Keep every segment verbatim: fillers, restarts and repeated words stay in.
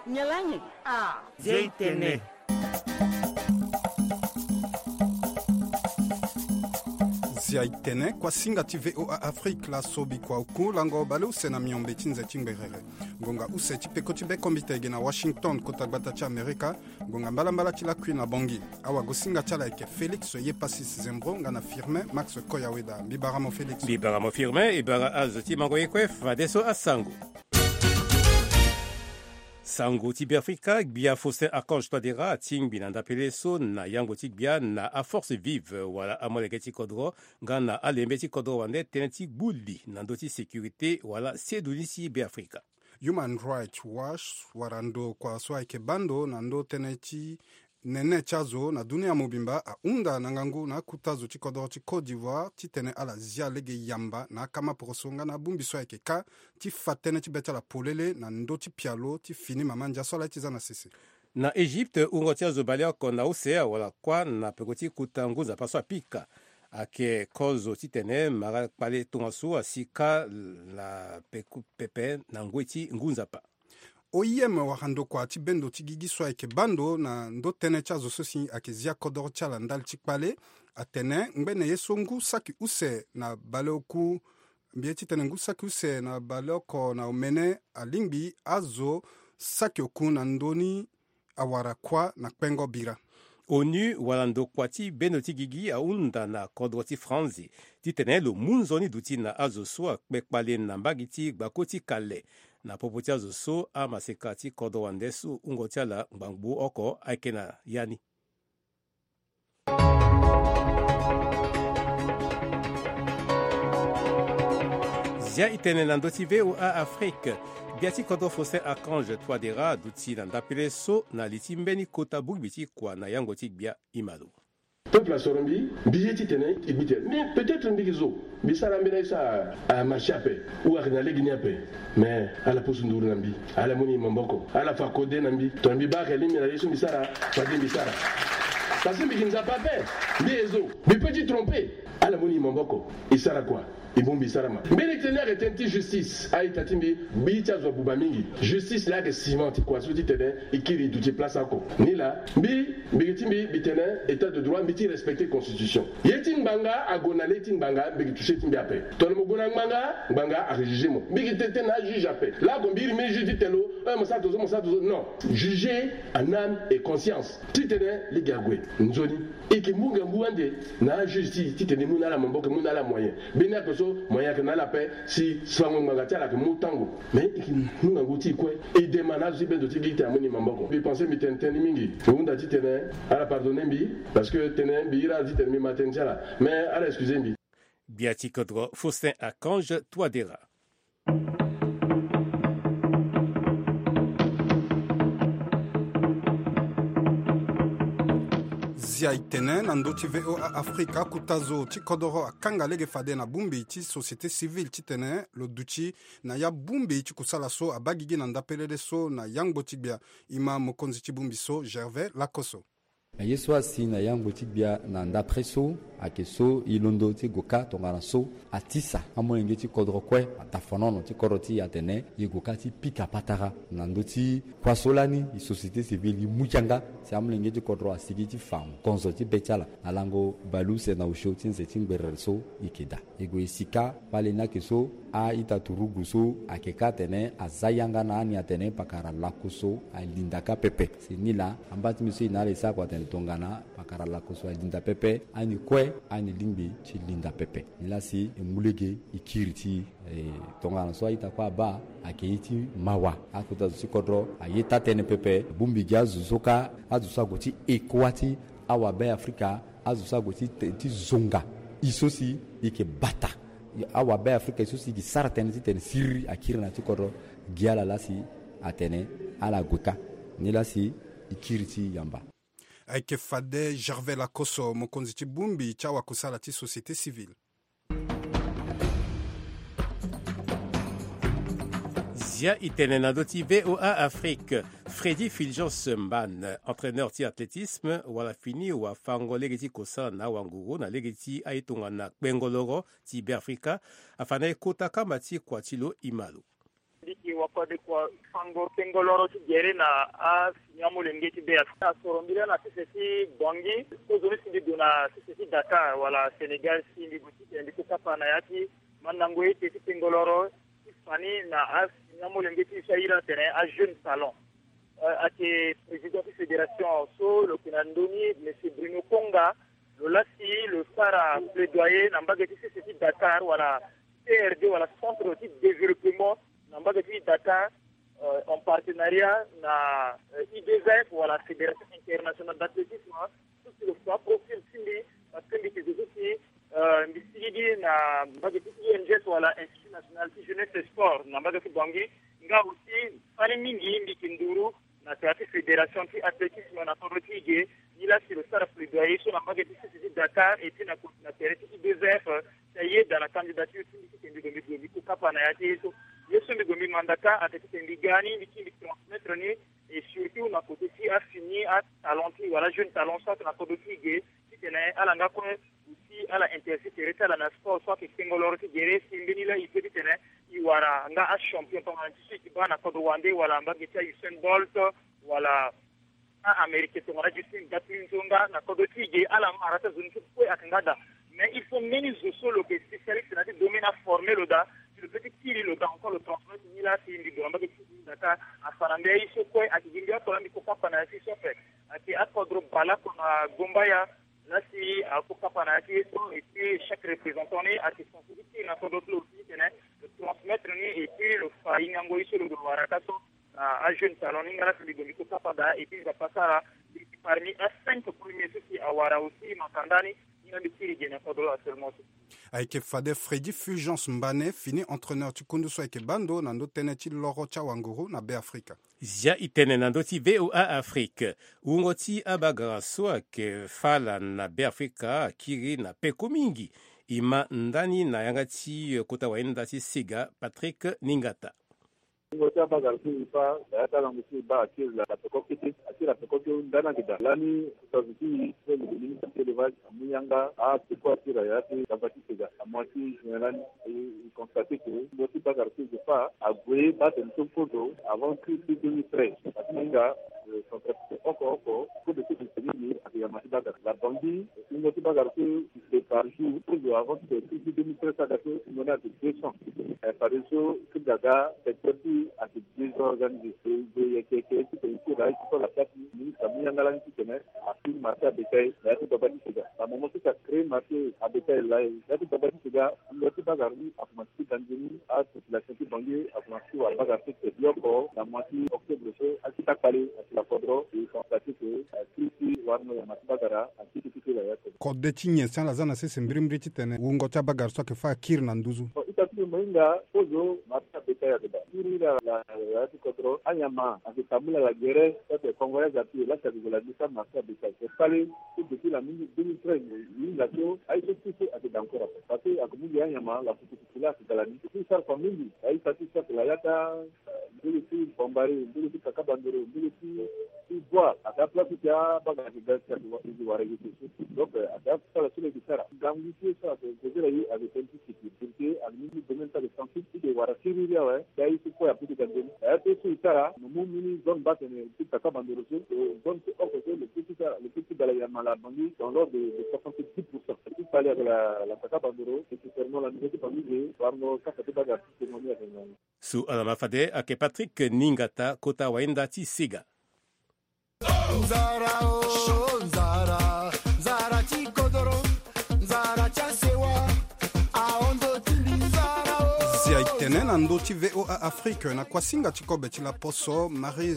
Nyalange. Ah. Zia itene. Zia itene, kuasinga ti VOA Afrique, laso bikua oku lango baleuse na miombe ti nze ti ngberere. Ngonga use ti peko ti bekombite ege na Washington, kota gbata ti Amerika. Ngonga mbalambala ti lakui na Bangui. Awagosinga ti ala ayeke Félix Yepasis Zembro nga na Firmin Max Koyaweda. Mbi bara mo Félix. Mbi bara mo Firmin, e bara azo ti mango ye kue fadeso asango. Sango ti Beafrika, gbia Faustin Archange Touadéra atingbi na ndapele so na yango ti gbia na aforce vive wala amolenge ti kodro nga na alembe ti kodro wande tënë ti gbu li na ndö ti sécurité wala sedu ni ti Beafrika. Human Rights Watch wara ndo kua so ayeke baa ndo na ndö tënë ti nene ti azo na dunia mobimba ahunda na ngangu na akuta zo ti kodoro ti Côte d'Ivoire titene ala zia lege yamba na akamaporoso nga na abongbi so ayeke kâ ti fa tënë ti be ti ala polele na ndö ti pialo ti fini mama ndia so ala ye ti za na sese. Na Egypte, wungo ti azo baleoko na use awara kuâ na peko ti kota ngu nzapa so apika. Ayeke kozo titene mara kpale tongaso asi kâ na peko pepe na ngoi ti ngu nzapa. O I M wara ndo kua ti bendo ti gigi so ayeke baa ndo na ndö tënë ti azo so si ayeke zia kodoro ti ala ndali ti kpale. Atene ngbene ye so ngu saki use na baleoku, mbi ye titene ngu saki use na baleoko na omene alingbi azo saki oku na ndö ni awara kuâ na kpengo bira. ONU wala ndo kua ti bendo ti gigi ahunda na kodro ti Franzi titene lo mu nzoni duti na azo so akpe kpale na mbage ti gbako ti kale. Na popo ti azo so amaseka ti kodro wande so wungo ti ala ngbangbo oko ayeke na ya ni. Zia itene na ndö ti VOA Afrique. Gbia ti kodro Faustin Archange Touadéra aduti na ndapele so na li ti mbeni kota bongbi ti kua na yango ti gbia. Imalo. Peuple asoro mbi, mbi ye titene e gbi tene. Mais peut-être mbi ke zo, mbi sara mbeni aye so amarché ape ou ayeke na lege ni ape. Mais ala pusu nduru na mbi, ala mu ni maboko, ala fa kode na mbi. Tongana mbi baa ayeke lingbi na ye so mbi sara, fade mbi sara. Parce que mbi ke Nzapa ape, mbi ye zo, mbi peut ti tromper. Ala mu ni maboko, e sara kua? E bongbi e sara ma. Mbeni tënë ni ayeke tënë ti justice. A-ita ti mbi, gbi ti azo abuba mingi. Justice laa ayeke ciment ti kua so titene e kiri e duti place oko. Ni laa mbi, mbi yeke ti mbi, mbi tene état de droit, mbi ti respecter constitution. Ye ti ngbanga ague na le ti ngbanga, mbi yeke toucher ti mbi ape. Tongana mo gue na ngbanga, ngbanga ajuger mo. Mbi yeke tene tënë na ajuge ape. Laa ague mbi iri mbeni juge ti tene lo, eh, mo sara tongaso, mo sara tongaso. Non. Juger en âme et conscience. Titene lege ague nzoni. E yeke mu ngangu ande na ajuge ti, titene e mu na ala maboko, e mu na ala moyen. Mbeni ake so moyen ayeke na ala ape, si fango ngbanga ti ala ayeke mu tango. Mais e yeke mu ngangu ti e kue. E dema na azo ti bendo ti gi ti amoni maboko. Mbi pense mbi tene tënë ni mingi. Mbi hunda titene ala pardonner mbi, parce que tënë mbi iri ala titene mbi ma tënë ti ala. Mais ala excuser mbi. Gbia ti kodro Faustin Archange Touadéra. Zia itene na ndö ti VOA Afrique, akuta zo ti kodoro akanga lege fade na bongbi ti société civile titene lo duti na ya bongbi ti kusala so abaa gigi na ndapelele so na yangbo ti gbia. E ma mokonzi ti bongbi so, Gervais Lakosso. Na ye so asi na yangbo ti gbia na ndapre so, ayeke so e londo ti gue kâ tongana so atisa amolenge ti kodro kue, atafanono ti kodro ti e atene e gue kâ ti pika patara na ndö ti kua so lani e société civile e mu yanga si amolenge ti kodro asigi ti fa ngonzo ti be ti ala na lango baleuse na osio ti nze ti ngberere so e yeke daa. E gue e si kâ kpale ni ayeke so a-ita turugu so ayeke kâ atene aza yanga na ani atene pakara lako so alinda kâ pepe. Si ni laa amba ti mbi so e na ala e sara kua atene tongana pakara lako so alinda pepe, ani kue ani lingbi ti linda pepe. Ni laa si e mu lege e kiri ti e, tongana so a-ita kue abaa, ayeke ye ti mawa. Akota zo ti kodro aye taa-tënë pepe. Bongbi gi azo so kâ, azo so ague ti e kuâ ti awabe-afrika, azo so ague ti, ti zonga e so si e yeke bata awabe-afrika, e so si e yeke sara tënë titene siriri akiri na ya ti kodro gi ala laa si atene ala gue kâ. Ni laa si e kiri ti yamba. Ayeke fade Gervais Lakosso, mokonzi ti bongbi ti awakusala ti société civile. Zia e tene na ndö ti VOA Afrique. Freddy Fulgence Mbane, entraîneur ti athlétisme, wala fini wafango lege ti kosala na awanguru na lege ti aye tongana kpengo loro ti Beafrika, afa na e kota kamba ti kua ti lo e ma lo. Ti wako de kua fango kengoloro ti gere na asini amolenge ti be afrika asoro mbila na sese ti bongi. Kozo ni si mbi gue na sese ti dakar wala sénégal si mbi gue ti tene mbi ko kapa na ya ti mandango ete ti kengoloro ti fani na asini amolenge ti so ahiri atene ajeune salon. Ake président ti fédération so lo yeke na ndö ni monsieur bruno konga, lo lasi lo sara plaidoyer na mbage ti sese ti dakar wala crd wala centre ti développement na mbage ti dakar, en partenariat na i d f wala fédération internationale d'athlétisme. So si lo fa profil ti mbi parce que mbi yeke zo so si mbi sigi gi na mbage ti i n g s wala institut national ti jeunesse sport na mbage ti bangi. Nga aussi fani mingi mbi yeke nduru na tere ti fédération ti athlétisme na kodro ti e ge. Ni laa si lo sara plaidoyer so na mbage ti sese ti dakar et puis na koti na tere ti i d f ti ayeda na candidature ti mbi ti tene mbi gue mbi gue mbi ko kapa na ya ti ye so. Ye so mbi gue mbi mandaka ate ti tene mbi ga ni mbi ti mbi transmettre ni. Et surtout na kote ti afini atalent ti wala jeune talent so ate na kodro ti e ge ti tene ala nga kue aussi ala intéressé tere ti ala na sport so ayeke kengoloro ti gere si mbeni laa e pe ti tene e wara nga achampion tongana ti so e ke baa na kodro wande wala mbage ti a usain bolt wala a-américain tongana justin gatlin so nga na kodro ti e ge ala mara ti azo ni so kue ayeke nga daa. Mais il faut mbeni zo so lo yeke spécialiste na ya ti domaine aforme lo daa si lo pe ti kiri lo daa encore lo transmettre ni laa si mbi gue na mbage ti e ge ni daa ka afa na mbi aye so kue ayeke gi mbi oko laa mbi ko kapa na ya ti so ape. Ayeke akodro baleoko na gombaya. Laa si ako kapa na ya ti ye so et puis chaque représentant ni ayeke sensibilité na kodro ti lo aussi ti tene lo transmettre ni et puis lo fa hingango ye so lo gue wara ka so na ajeune talent ni nga laa si mbi gue mbi ko kapa daa et puis nzapa sara mbi yeke parmi a cinq premier so si awara aussi makanda ni. Ni nga mbi tiri ge na kodro actuellement so. Ayeke fade Freddy Fulgence Mbane fini entraîneur ti kundu so ayeke baa ndo na ndö tënë ti loro ti awanguru na Beafrika. Zia e tene na ndö ti VOA Afrique. Wungo ti abagara so ayeke fâ ala na Beafrika akiri na peko mingi. E ma ndani na yanga ti kota wayenda ti sega Patrick Ningata. Wungo ti abagara so e fâ na ya ti alango so e baa akiri la peko kete akiri la peko ti ndani ayeke daa lani. Tongana ti e so lo yeke ministre ti élevage amu yanga apeko akiri la ya ti gaba ti sega amoin ti juin lani. E constate ke wungo ti bagara so e yeke fâ ague baa tene so kozo avant crise ti deux mille treize. Atinga centrafrique oko oko kozo so e yeke ni ayeke yama ti bagara la bangi. Wungo ti bagara so e fait par jour kozo avant ti tene crise ti deux mille treize so aga so wungo ni ayeke deux cents. Fadeso ti gaga secteur ti ayeke désorganisé. E gue yeke yeke ti tene ti daa ti so la place ni ministre amu yanga lani ti tene afi marché abétail na ya ti gbagba ti sega. Amomo so si acréé marché abétail laa ya ti gbagba ti sega. Lo ti bagara ni akomanse ti ga nzoni apopulation ti banlieue akomanse ti wara bagara so tene bioko na mois ti octobre so akita kpale asi la kodro e constate ke akiri ti warno yama ti bagara akiri ti kiri la ya kodro. Kode ti nyen si ala za na sese mbirimbiri ti tene wungo ti abagara so ayeke fâ akiri na nduzu? Ita ti mbi mo hinga kozo marché abétail ayeke daa kiri la ya ti kodro anyama ayeke tambula la gere. Peut-être congolais ape laa si ayeke gue la ni sa marché abétail ayeke kpale. So depuis la mingi deux mille treize mo hinga so aye so ti so ayeke daa encore ape parce que ayeke mu gi anyama la futufutu laa ayeke ga la ni. Ti sara fa mingi aye sa ti so ayeke la ya ti a ndulu ti bambari ndulu ti kaka bandoro ndulu ti ti bois ayeke aplace ti abagara ayeke ga si ayeke wara yeke so. Donc ayeke asara so lo yeke sara gangu ti ye so ayeke kozela ye ayeke tënë ti sécurité. Ayeke ni ni domaine so ayeke sensible ti yeke wara siriri awe. Ti aye so kue ape ti ga nzoni aye ape so e sara mo mu mbeni zone baa tene ti kaka bandoro so zone ti oko so lo pe ti sara lo pe ti ga la yama la bangi dans l'ordre de soixante dix pour cent ti kpale ayeke la kaka bandoro nécessairement la niveau ti bangi ge. Warno kaka ti bagara ti témoigner ayeke ngangu. So ala ma fade ayeke Patrick Ningata kota wayenda ti sega. Nzara o nzara, nzara ti kodoro, nzara ti asewa. Ahon ndo ti mbi nzara o. Si aye tene na ndö ti VOA Afrique na kuasinga ti kobe ti laposo Marie,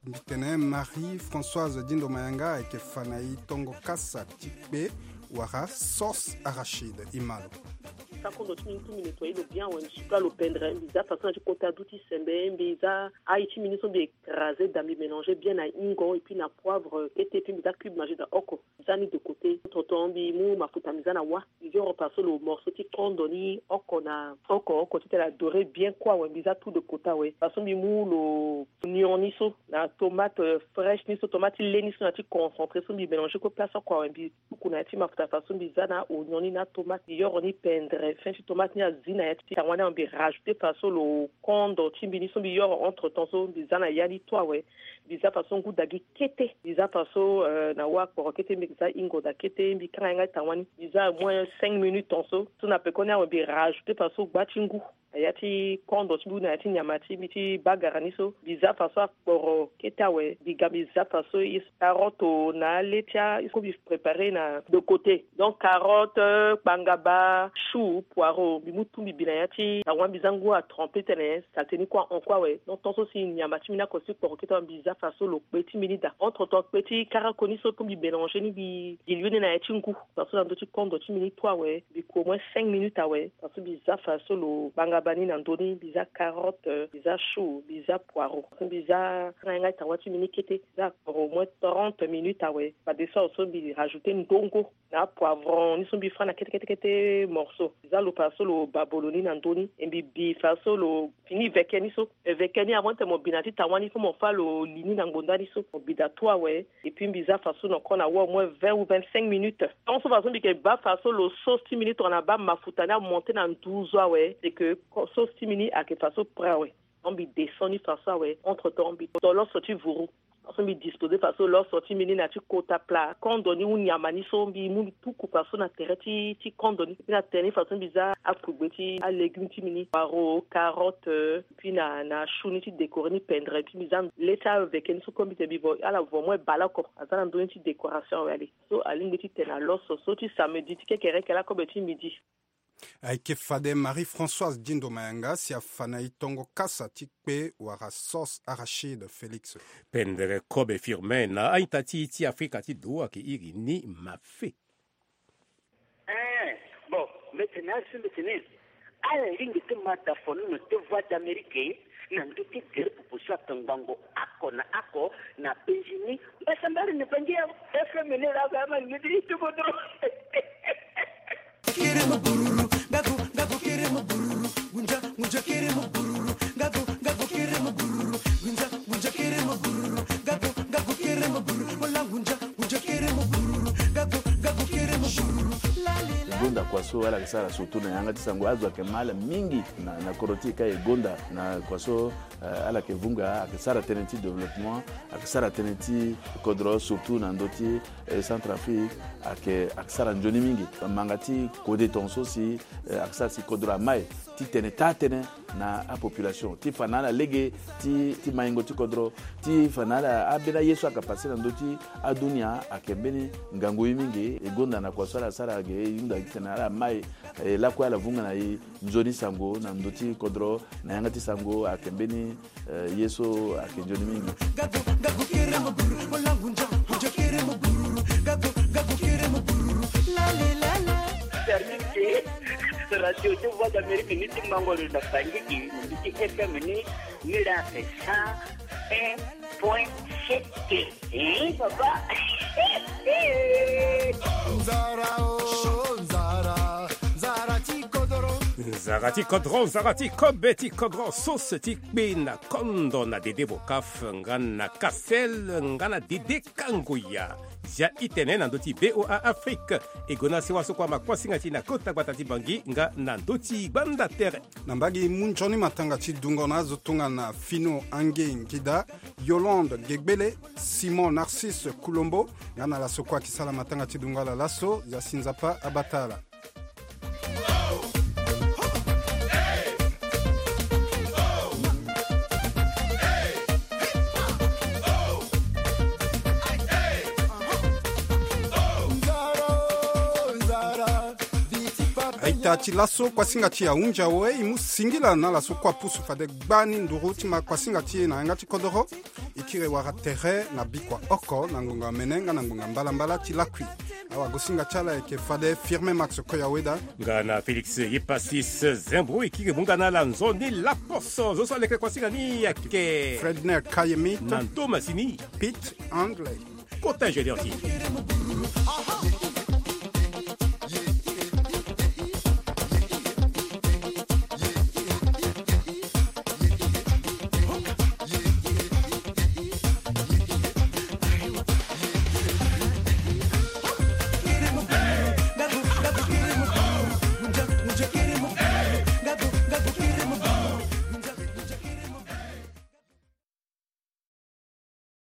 mbi tene Marie Françoise Dindo Mayanga ayeke fa na e tongo kasa ti kpe wala sauce arachide. E ma lo. Sakondo ti mbi ni tu mbi ne toye lo bien awe mbi suka lo pendre mbi za façon na ti kota du ti sembe mbi za aye ti mbi ni so mbi écrasé da mbi mélanger bien na hingo et puis na poivre kete et puis mbi za cube magie da oko. Mbi za ni de côté tonton mbi mu mafuta mbi za na wa. Mbi yoro par so lo morceau ti kondo ni oko na oko oko titene adoré bien kue awe mbi za tout de côté awe façon mbi mu lo. Oignon ni so na tomate fraîche ni so, tomate ti le ni so na ti concentré so mbi mélanger kue place oko awe. Mbi tuku na ya ti mafuta faso mbi za na oignon ni na tomate, mbi yoro ni pendere. Fin ti tomate ni azi na ya ti tanga wani awe, mbi rajouter faso lo kondo ti mbi ni so mbi yoro entre temps so mbi za na ya ni tu awe. Mbi za faso ngu dagi kete, mbi za faso na wa akporo kete, mbi za ingo da kete, mbi kanga yanga ti tanga wani, mbi za au moins cinq minutes temps so. So na pekoni awe mbi rajouter faso gba ti ngu na ya ti kondo ti mbi na ya ti nyama ti mbi ti bagara ni so. Mbi za faso akporo kete awe, mbi ga mbi za faso carotte na ale ti a so mbi préparer na de côté. Donc carotte, kpangaba, chou, poireau, mbi mu tu mbi bi na ya ti tanga wani, mbi za ngu atremper tene saleté ni kue ahon kue awe. Donc tant so si nyama ti mbi ni ako si kporo kete awe, mbi za faso lo kpe ti mbi ni daa. Entre temps kpe ti karako ni so mbi mélanger ni, mbi diluer ni na ya ti ngu. Faso na ndö ti kondo ti mbi ni tu awe, mbi ku au moins cinq minutes awe. Faso mbi za faso lo kpangaba ni na ndö ni, mbi za carotte, mbi za chou, mbi za poireau. Faso mbi za kanga yanga ti tanga wani ti mbi ni kete, mbi za akporo au moins trente minutes awe. Fade so awe so mbi rajouter ndongo na apoivron ni so mbi fa na kete kete kete morceau. Mbi za lo faso lo babolo ni na ndö ni, e mbi bi faso lo fini veke ni so. E veke ni avant ti mo bi na ti tanga wani, faut mo fa lo li ni na ngbonda ni so. Mo bi daa tu awe. Et puis mbi za faso na encore na wa au moins vingt ou vingt-cinq minutes. Tant so faso mbi yeke baa faso lo sauce ti mbi ni tongana baa mafuta ni amonter na nduzu awe, c'est que sauce ti mbi ni ayeke faso prêt awe. Donc mbi descend ni faso awe. Entre temps mbi to loso ti vuru. Faso mbi disposer faso loso ti mbi ni na ti kota plat. Kondo ni ou nyama ni so mbi mu mbi tuku faso na tere ti, ti kondo ni. Mbi na tere ni faso mbi za akugbe ti alégume ti mbi ni, poireau, carotte, puis na, na chou ni ti décorer ni pendere. Puis mbi za le ti aveke ni so kue mbi tene mbi vo ala vo au moins bale oko. Aza na ndö ni ti décoration awe. Ale so alingbi ti tene na loso so ti samedi ti kekereke lakobe ti midi. Ayeke fade Marie-Françoise Dindo Mayanga si afa na e tongo kasa ti kpe wala sauce arachide Félix. Pendere kobe Firmin na a-ita ti, ti Afrika ti do ayeke iri ni mafe. Eh, bon, mbeti na azo mbeti ni. Ala lingbi ti ma da fono na te Voix d'Amérique na ndö ti gere pupu so atongbango oko na oko na penzi ni. Mbasambari ni bangi ya F M ni la ga ma ni di tu kodro. Kiri mu bururu, gago, gago kiri mu bururu, gunja, gunja kiri mu bururu, gago, gago kiri mu bururu, gunja, gunja kiri mu bururu, gago, gago kiri mu bururu, wala gunja, gunja kiri mu bururu, gago, gago kiri mu bururu. Gonda kua so ala yeke sara surtout na yanga ti sango, azo ayeke ma ala mingi na, na kodro ti e ka e gonda na kua so, eh, ala yeke vunga, ayeke sara tënë ti développement, ayeke sara tënë ti kodro surtout na ndö ti, eh, Centrafrique, ayeke, ayeke sara nzoni mingi. Manga ti kode tongaso si, eh, ayeke sara si kodro amai ti tene taa tënë na apopulation ti fa na ala lege ti, ti maingo ti kodro, ti fa na ala ambeni aye so ayeke pase na ndö ti adunia ayeke mbeni ngangu ye mingi. E gonda na kua so ala sara ge, e hunda gi tene ala mai, e lakue ala vunga na e nzoni sango na ndö ti kodro na yanga ti sango ayeke mbeni, eh, ye so ayeke nzoni mingi. Service Radio ti Voix d'Amérique ni ti mango lo na Bangui, ni ti F M ni, ni la ayeke cent un point sept. Eh, papa. Nzara o, nzara, nzara ti kodro. Nzara ti kodro, nzara ti kobe ti kodro, sauce ti kpe na kondo na Dede Bokaf, nga na Kasel, nga na Dede Kangoya. Zia itene na ndö ti V O A Afrique. E gue na sewa so kua ma kuasinga ti e na kota gbata ti Bangui nga na ndö ti gbanda tere. Na mbage mu nzoni matanga ti dungo na azo tongana Fino Ange Ngida, Yolande Gegbele, Simon Narcisse Kulombo, nga na laso kue ayeke sara matanga ti dungo ala laso, ya si Nzapa abata ala. Aita ti laso kuasinga ti e ahunzi awe, e mu singila na ala so kue apusu fade gbani nduru ti ma kuasinga ti e na yanga ti kodoro. E kiri wara tere na bikua oko na ngonga mene nga na ngonga mbalambala ti lakui. Awagosinga ti ala ayeke fade Firmin Max Koyaweda, nga na Félix Yepasis Zembro. E kiri mu nga na ala nzoni laposo. Zo so aleke kuasinga ni ayeke Fredner Kayemit, na ndo masini Pete Handley. Kota ingénieur ti